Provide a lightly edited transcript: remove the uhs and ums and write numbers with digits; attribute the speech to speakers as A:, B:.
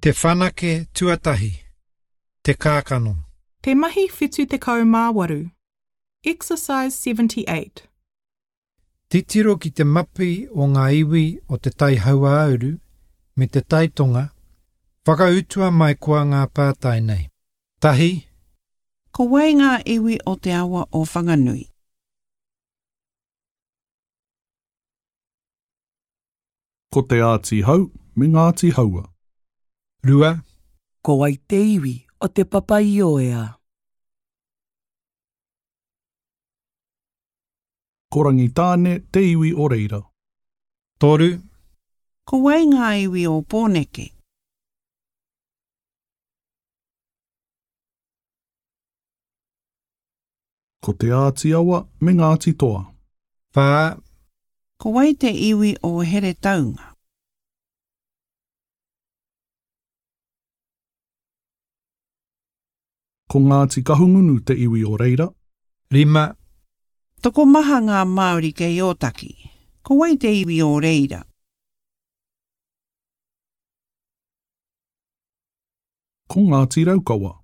A: Te whanake tuatahi, Te kākano.
B: Te mahi 78. Exercise 78.
A: Titiro ki te mapi o ngā iwi o Te Tai Hauāuru me Te Tai Tonga, whakautua mai koa ngā pātai nei. Tahi.
C: Ko wai ngā iwi o te awa o Whanganui?
D: Ko Te Āti Hau me Ngāti Haua.
A: Rua.
E: Ko wai te iwi o Te Papa-i-ōea?
D: Ko Rangitāne te iwi o reira.
A: Toru.
C: Ko wai ngā iwi o Pōneke?
D: Ko Te Āti Awa me Ngāti Toa.
A: Whā.
C: Ko wai te iwi o Heretaunga?
D: Ko Ngāti Kahungunu te iwi o reira.
A: Rima.
C: Tokomaha ngā Māori kei Ōtaki. Ko wai te iwi o reira?
D: Ko Ngāti Raukawa.